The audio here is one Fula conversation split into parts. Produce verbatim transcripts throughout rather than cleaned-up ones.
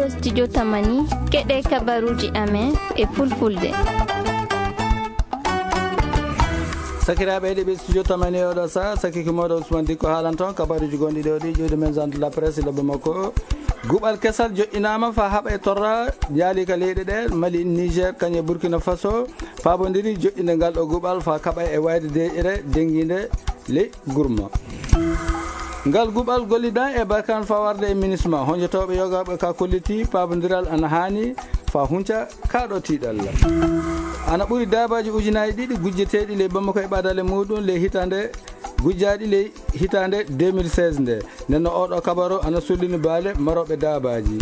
Studio Tamani, keɗe kabaruji amen e fulfulde. Sakiraaɓe heɗiiɓe Studio Tamani e oɗo saha, sakiki mooɗo Ousmane Dikko haalan toon kabaruji gonɗi ɗo ɗi ƴiwde men zande la presse lobbe makko. Guɓal kesal joƴƴinaama fa haɓa e torra jaali ka leyɗe ɗe, Mali, Niger, kañe Burkina Faso, paabondiri joƴƴinde ngal ɗo guɓal fa kaɓa e wayde deƴƴere dennginde ley gurma. Ngal guɓal gollidan e Barkan fawarde e minisma, honjotooɓe yogaaɓe ka kolliti paabondiral ana haani fa hunca ka ɗo tiiɗalla. Ana ɓuri daabaaji ujunaaji ɗiɗi gujjeteeɗi ley Bamako e ɓadale muɗum ley hitande, gujjaaɗi ley hitande deux mille seize nde. Nden no oɗo kabaru ana sullini baale marooɓe daabaaji.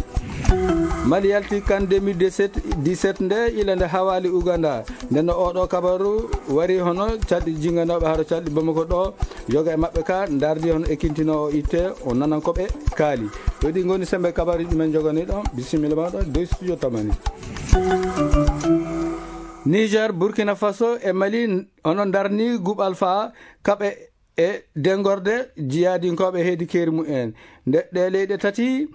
Mali yalti kan deux mille dix-sept, dix-sept nde ila nde hawaali Uganda. Nden no oɗo kabaru wari hono calɗi jinganooɓe haro calɗi Bamako ɗo, yoga e maɓɓe ka ndardi hono ekintinoowo itte, o nanan ko ɓe kaali. Ɗo ɗi ngoni sembe kabaruji men jogani ɗon. Bisimilla maɗa dow Studio Tamani. Niger, Burkina Faso e Mali hono ndarni guɓal fa kaɓe e dengorde jiyaadinkooɓe heedi keeri mumen. Nde ɗe leyɗe tati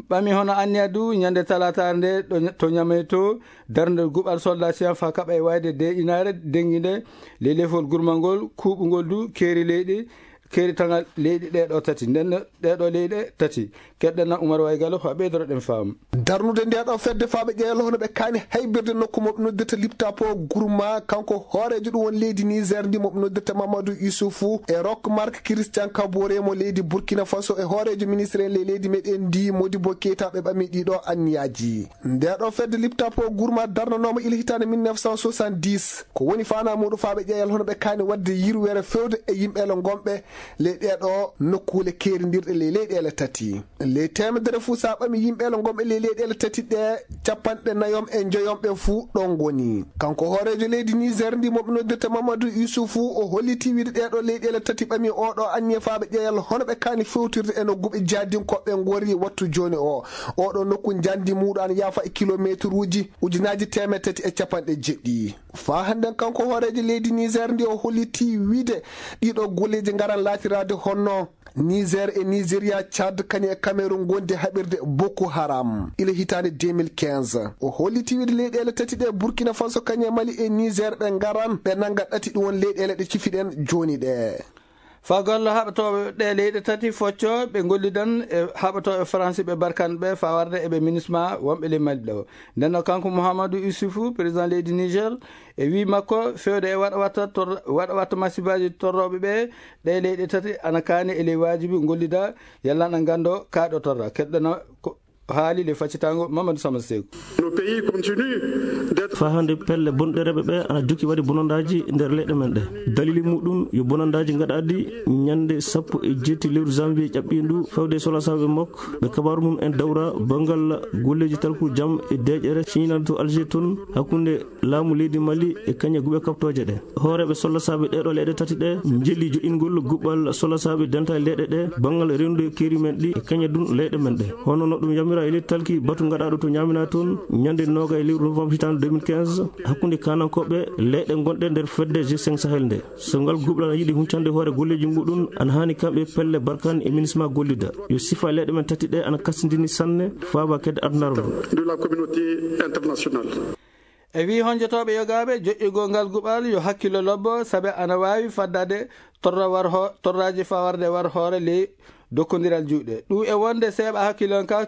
ɓami hono anniya du ñande talaata nde ɗo, to Ñamey to darnde guɓal soldat siyan fa kaɓa e wayde deƴƴinaare dennginde ley lefol gurmangol kuuɓungol du keeri leyɗe, keeri tangal leyɗe ɗe ɗo tati. Nden ɗe ɗo leyɗe tati. Keɗɗen na Umar Waygalo fa ɓeydoroɗen faamu. Darnude nde ɗo fedde faaɓe ƴeelo hono ɓe kaani haybirde nokku mo ɓe noddirta Liptapo Gourma, kanko hooreejo ɗum won leydi Niger ndi mo ɓe noddirta Mamadou Issoufou e Rock Mark Christian Kabore mo leydi Burkina Faso e hooreejo ministre en ley leydi meɗen ndi Modibo Keita ɓe ɓami ɗiɗo anniyaaji. Nde ɗo fedde Liptapo Gourma darnanooma ila hitaande mille neuf cent soixante-dix. Ko woni faanaa muɗum faaɓe ƴeeyal hono ɓe kaani waɗde yirwere fewde e yimɓeele ngonɓe ley ɗeeɗo nokkuule keerindirɗe ley leyɗeele tati. Ley teemedere fuu, so a ɓami yimɓeele ngonɓe ley leyɗeele tati ɗe, capanɗe nayom e njoyom ɓe fuu ɗon ngoni. Kanko hooreejo leydi Niger ndi mo ɓe noddirta Mamadou Issoufou, o holliti wiide ɗeeɗo leyɗeele tati ɓami oɗo anniya faaɓe ƴeeyal hono ɓe kaani fewtirde e no guɓe jaadinkooɓe ngori wattu jooni o. Oɗo nokku njandi muuɗo ana yaafa e kilomeeteruuji ujunaaji teemedde tati e capanɗe jeɗɗi. Faa hannden kanko hooreejo leydi Niger ndi o holliti wiide ɗiɗo golleeji ngaran laatiraade honno Niger e Nigeria, Tchad, kañum e Cameroun ngondi haɓirde Boko Haram ila hitaande deux mille quinze. O holliti wiide leyɗeele tati ɗe, Burkina Faso, kañum e Mali e Niger, ɓe ngaran, ɓe nannga ɗati, ɗum won leyɗeele ɗe cifiɗen jooni ɗe. Fagollo haɓatooɓe ɗe leyɗe tati focco, ɓe ngollidan e haɓatooɓe Faransi ɓe Barkan ɓe faa warde e ɓe minisma wonɓe ley Mali ɗo. Nden no kanko Mouhamadou Issoufou, président leydi Niger, e wii makko, fewde e waɗa watta tor-, waɗa watta masibaaji torrooɓe ɓe, ɗe leyɗe tati ana kaani e ley waajibi ngollida, yalla na nganndo kaa ɗo torra. Keɗɗana ko haali le faccitango Mamadou Sama Seku. Nos pays continue d'être Faa hannde pelle bonɗereeɓe ɓe ana jokki waɗi bonandaaji nder leyɗe men ɗe. Dalili muɗum yo bonandaaji ngaɗaaɗi ñande sappo e jeeɗiɗi lewru janvier ƴaɓɓiindu fewde e solasaaɓe mok ɓe kabaaru mum en dawra banngal golleeji talku jam e deeƴere ciñinal to Alger toon hakkunde laamu leydi Mali e kañe guɓe kaɓtooje ɗe. Hooreeɓe sollasaaɓe ɗeeɗo leyɗe tati ɗe njeli joƴƴingol guɓɓal sollasaaɓe dental leyɗe ɗe banngal rewnude keeri men ɗi e kañe dun leyɗe men ɗe. Hono no ɗum yamira e ley talki batu ngaɗaaɗo to Ñaamina toon ñande nooga e lewru novembre hitaande deux mille quinze hakkunde kaanankooɓe leyɗe gonɗe nder fedde G cinq Sahel nde. So ngal guɓɓal ana yiɗi huncande hoore golleeji muɗum, ana haani kamɓe pelle Barkan e minisma gollida. Yo sifa leyɗe men tati ɗe ana kastindini sanne faaba kedde adunaaru ndu. De la communauté internationale. E wii honjotooɓe yogaaɓe joƴƴugol ngal guɓal yo hakkillo lobbo, sabe ana waawi faddade torra war ho-, torraaji faa warde war hoore ley dokkondiral juuɗe. Ɗum e wonde seeɓa hakkillo on ka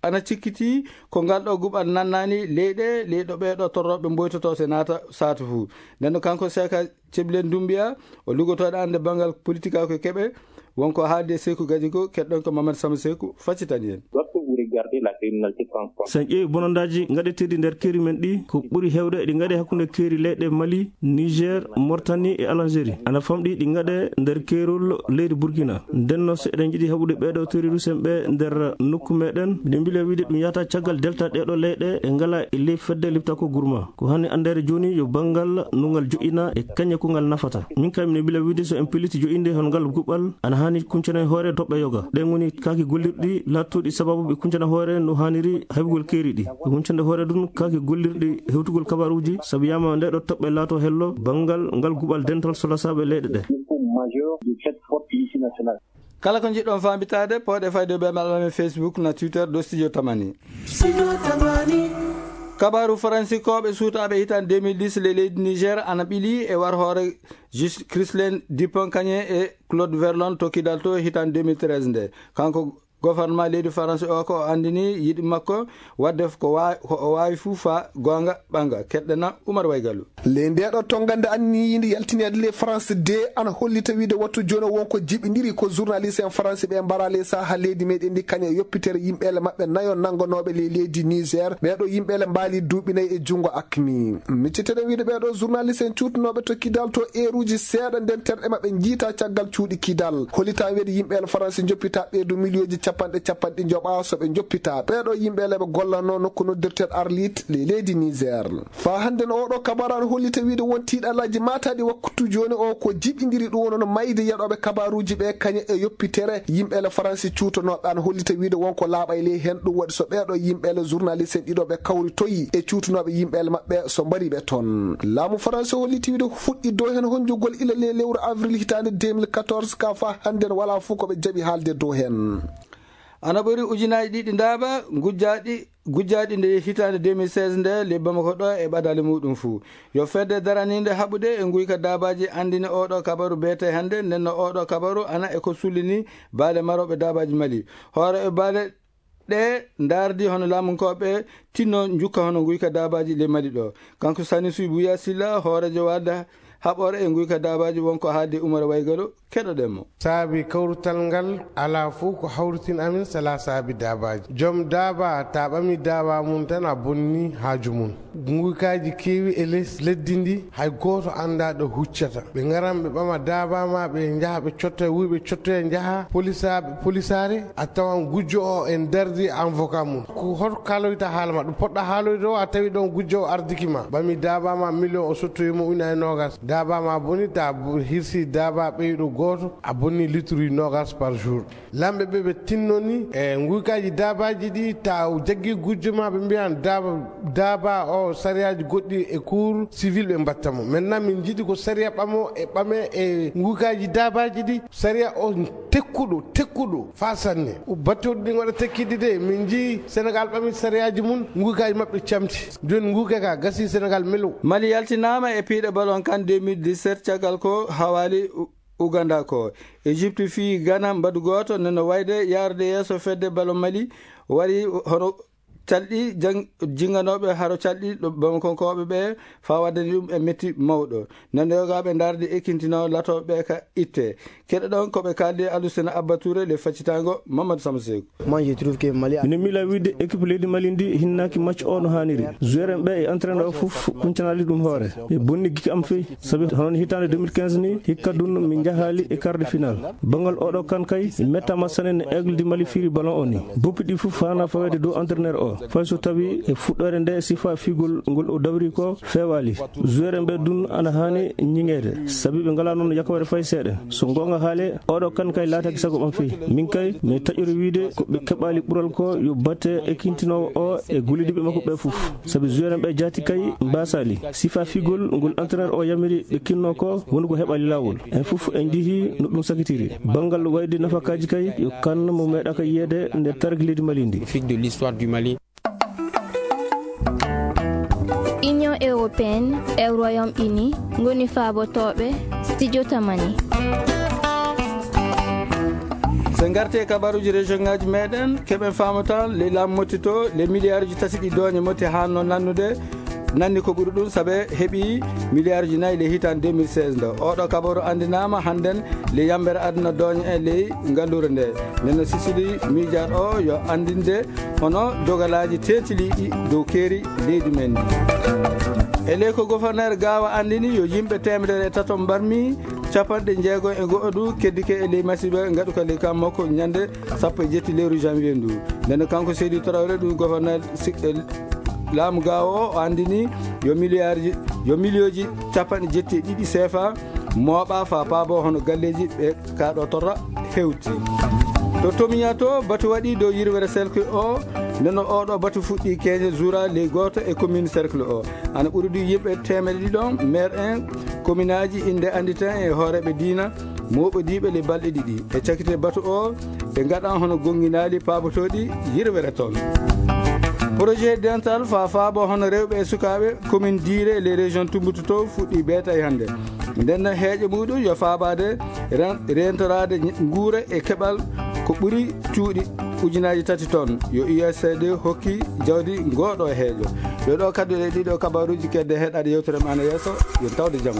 ana cikkitii ko ngal ɗo guɓal nannaani leyɗe, ley ɗo ɓee ɗo torrooɓe mboytotoo se naata saatu fuu. Nden no kanko Seeka Ceblen Dumbiya, o lugotooɗo annde banngal politika ko keɓe, wonko haalde Seeku Gaji ko, keɗɗon ko Mamadou Sama Seeku, faccitani en. Lorsque vous regardez la criminalité transfrontalière. So en ƴeewi bonandaaji ngaɗeteeɗi nder keeri men ɗi, ko ɓuri heewde ɗi ngaɗe hakkunde keeri leyɗe Mali, Niger, Mauritanie e Algérie. Ana famɗi ɗi ngaɗe nder keerol leydi Burkina. Nden no so eɗen njiɗi haɓude ɓee ɗo terroriste en ɓe nder nokku meɗen, miɗen mbila wiide ɗum yahata caggal delta ɗee ɗo leyɗe e ngala e ley fedde lipta ko gurma. Ko hani anndeede jooni yo banngal no ngal joƴƴina e kañe ko ngal nafata. Min kay miɗo mbila wiide so en pelliti joƴƴinde hono ngal guɓɓal, ana haani kuncana e hoore toɓɓe yoga. Ɗen ngoni kaaki gollirɗi laattuɗi sababu ɓe kuncana hoore no haaniri haybugol keeri ɗi. Ɓe kuncande hoore ɗum kaaki gollirɗi hewtugol kabaruuji, sabu yama nde ɗo toɓɓe laato hello banngal ngal guɓɓal dental solasaaɓe leyɗe ɗe. Il faut majeur de cette forte multinationale. Kala ko njiɗɗon faamitaade, pooɗe fayde ɓe maɓɓe Facebook na Twitter ɗo Studio Tamani. Kabaaru faransikooɓe suutaaɓe hitaande deux mille dix le leydi Niger ana ɓili e war hoore Jus-, Christian Dupont-Aignan e Claude Verlon to Kidal to hitaande deux mille treize nde. Kanko gouvernement leydi Faransi o ko o anndini yiɗi makko waɗde ko wa-, ko o waawi fuu faa goonga ɓanga. Keɗɗena Umar Waygalu. Ley ndeeɗo tonngande anniyiinde yaltineede ley France deux ana hollita wiide wattu jooni o won ko jiɓindiri ko journaliste en faransi ɓe mbara ley saha leydi meɗen ndi kañe e yoppitere yimɓeele maɓɓe nayo nanngonooɓe ley leydi Niger. Ɓeeɗo yimɓeele mbaali duuɓi nayi e junngo akmi. Micciteɗen wiide ɓeeɗo journaliste en cuutunooɓe to Kidal to eeruuji seeɗa nden terɗe maɓɓe njiita caggal cuuɗi Kidal. Hollitaa wiide yimɓeele faransi njoppita ɓeydu miliyonji capanɗe capanɗe njoɓa so ɓe njoppita. Ɓeeɗo yimɓeele ɓe gollanoo nokku noddirteeɗo Arlit ley leydi Niger. Faa hannden oɗo kabaru ana hollita wiide won tiiɗalaaji maataaɗi waktu jooni o ko jiɓindiri ɗum wonno mayde yaɗooɓe kabaruuji ɓe kañe e yoppitere yimɓeele faransi cuutonooɓe ana hollita wiide won ko laaɓay ley heen ɗum waɗi so ɓeeɗo yimɓeele journaliste en ɗiɗo ɓe kawritoyi e cuutunooɓe yimɓeele maɓɓe so mbari ɓe toon. Laamu faransi holliti wiide fuɗɗi dow heen honjugol ila ley lewru avril hitaande deux mille quatorze ka faa hannden walaa fof ko ɓe jaɓi haalde dow heen. Ana ɓuri ujunaaji ɗiɗi ndaaba gujjaaɗi, gujjaaɗi nde hitaande deux mille seize nde ley Bamako ɗo e ɓadaali muɗum fuu. Yo fedde daraniinde haɓude e nguyka daabaaji anndini oɗo kabaru beete hannde, nden no oɗo kabaru ana e ko sullini baale marooɓe daabaaji Mali. Hoore e baale ɗe ndaardi hono laamunkooɓe tinno njukka hono nguyka daabaaji ley Mali ɗo. Kanko Sani Suy Buya Silla, hooreejo wadda haɓore e nguyka daabaaji won ko haaldi Umar Waygalo. Keɗoɗen mo. Saabi kawrutal ngal alaa fof ko hawritin amin sala saabi daabaaji. Joom daaba, ta ɓami daaba mum tan a bonni haaju mum. Nguykaaji keewi e les leddi ndi, hay gooto anndaa ɗo huccata. Ɓe ngaran ɓe ɓama daaba ma, ɓe njaha ɓe cotta, wuy ɓe cottoya njaha polisaaɓe, polisaare, a tawan gujjo o en dardi avocat mum. Ko hoto kaaloyta haala ma, ɗum poɗɗa haaloyde o, a tawi ɗon gujjo o ardiki ma. Ɓami daaba ma million o sottoyi mo ujunaaji noogas. Daaba ma boni, ta bo-, hirsi daaba ɓeyɗo gooto, a bonni litruji noogas par jour. Lamɓe ɓe ɓe tinnoni e nguykaaji daabaaji ɗi, ta jaggi gujjo ma, ɓe mbiyan daaba, daaba o sariyaaji goɗɗi e cour civil ɓe mbatta mo. Maintenant min njiɗi ko sariya ɓamo e ɓame e nguykaaji daabaaji ɗi, sariya o tekkuɗo, tekkuɗo faa sanne. O battoɗi ɗin waɗa tekkiɗi de, min njii Sénégal ɓami sariyaaji mum, nguykaaji maɓɓe camti. Jooni nguyka ka gasi Sénégal melo. Mali yaltinaama e piiɗe ballon kan deux mille dix-sept caggal ko hawaali U-, Uganda ko. Égypte fii Ghana mbaɗu gooto, nde no wayde yaarude yeeso fedde ballon Mali waɗi hono calɗi jang-, jinganooɓe haro calɗi ɗo Bamakonkooɓe ɓe faa waddani ɗum e metti mawɗo. Nde no yogaaɓe ndaardi ekintino latooɓe ɓe ka itte. Keɗoɗon ko ɓe kaaldi Alusena Abba Touré le faccitango Mamadou Samseku. Moi, je trouve que Mali a Mino miila wiide équipe leydi Mali ndi hinnaaki match o no haaniri. Joueur en ɓe e entraîneur o fof kuncanaali ɗum hoore. Ɓe bonni giki am feyi. Sabi hono hitaande deux mille quinze ni, hikka dun min njahaali e quart de finale. Banngal oɗo kan kay, mi mettaama sanne no Aigle du Mali firi ballon o ni. Boppi ɗi fof haana fawede dow entraîneur o. Fay so tawi e fuɗɗoore nde sifa figol ngol o dawri ko feewaali. Joueur en ɓe dun ana haani ñiŋeede. Sabi ɓe ngalaa noon yakawere fay seeɗa. So goonga haale, oɗo kan kay laataaki sago ɓam feyi. Min kay, mi taƴori wiide ko ɓe keɓaali ɓural ko yo batte e kintinoowo o e gollidiiɓe makko ɓe fof. Sabi joueur en ɓe jaati kay mbaasaali. Sifa figol ngol entraîneur o yamiri ɓe kinno ko woni ko heɓaali laawol. En fof en njihii no ɗum sakitiri. Banngal wayde nafakaaji kay yo kan mo meeɗaaka yiyeede nder taariki leydi Mali ndi. Fig de l'histoire du Mali. Union européenne e Royaume-Uni ngoni faabotooɓe Studio Tamani. So ngartee kabaruuji région ngaaji meɗen, keɓen faamata le laamu motti to, le miliyaaruuji tati ɗi dooñe motti haanno nannude, nanni ko ɓuri ɗum, sabe heɓi miliyaaruuji nayi le hitaande deux mille seize nde. Oɗo kabaru anndinaama hannden le yambere aduna dooñe e ley ngalluure nde. Nden no Sicily miijaɗo o yo anndinde hono dogalaaji teetiliiɗi dow keeri leydi men ndi. E ley ko gouverneur Gawa anndini yo yimɓe teemedere e tato mbarmi capanɗe jeego e go'o du keddike e ley masiiba ngaɗuka ley kam makko ñande sappo e jetti lewru janvier ndu. Nden kanko Seydou Traoré ɗum gouverneur si-, eh, laamu Gawa o, o anndini yo miliyaaruuji, yo miliyooji capanɗe jetti e ɗiɗi seefa mooɓa faa paabo hono galleeji ɓe ka ɗo torra hewti. To Tomiya to, batu waɗi dow yirwere cercle o, nden no oɗo batu fuɗɗi keeñe juura ley gooto e commune cercle o. Ana ɓuri du yimɓe teemedde ɗiɗo, maire en, communaaji, innde annditen e hooreeɓe diina, mooɓodiiɓe le balɗe ɗiɗi. E cakite batu o, ɓe ngaɗa hono gonnginaali paabotooɗi yirwere toon. Projet dental faa faabo hono rewɓe e sukaaɓe commune Diire les régions Tumbutu to fuɗɗi beeta e hannde. Nden heeƴo muɗum yo faabaade ren-, rentoraade ñ-, nguura e keɓal ko ɓuri cuuɗi ujunaaji tati toon. Yo U S A I D hokki jawdi ngooɗo heeƴo. Yo ɗo kaddu e ɗiɗo kabaruuji kedde heɗaade yewtere men yeeso. Yo tawde jam.